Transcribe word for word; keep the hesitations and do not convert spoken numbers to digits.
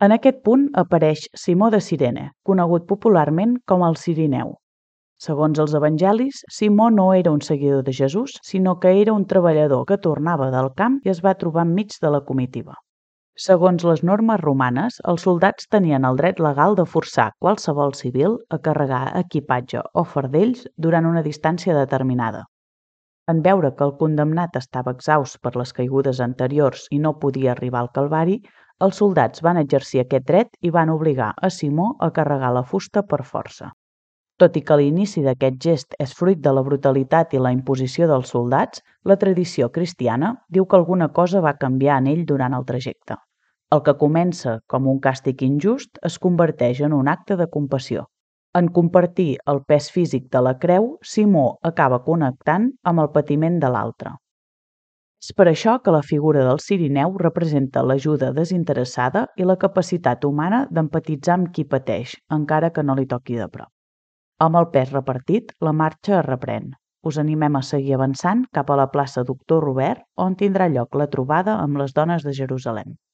En aquest punt apareix Simó de Cirene, conegut popularment com el Cirineu. Segons els evangelis, Simó no era un seguidor de Jesús, sinó que era un treballador que tornava del camp i es va trobar enmig de la comitiva. Segons les normes romanes, els soldats tenien el dret legal de forçar qualsevol civil a carregar equipatge o fardells durant una distància determinada. En veure que el condemnat estava exhaust per les caigudes anteriors i no podia arribar al Calvari, els soldats van exercir aquest dret i van obligar a Simó a carregar la fusta per força. Tot i que l'inici d'aquest gest és fruit de la brutalitat i la imposició dels soldats, la tradició cristiana diu que alguna cosa va canviar en ell durant el trajecte. El que comença com un càstig injust es converteix en un acte de compassió. En compartir el pes físic de la creu, Simó acaba connectant amb el patiment de l'altre. És per això que la figura del Cirineu representa l'ajuda desinteressada i la capacitat humana d'empatitzar amb qui pateix, encara que no li toqui de prop. Amb el pes repartit, la marxa es reprèn. Us animem a seguir avançant cap a la plaça Doctor Robert, on tindrà lloc la trobada amb les dones de Jerusalem.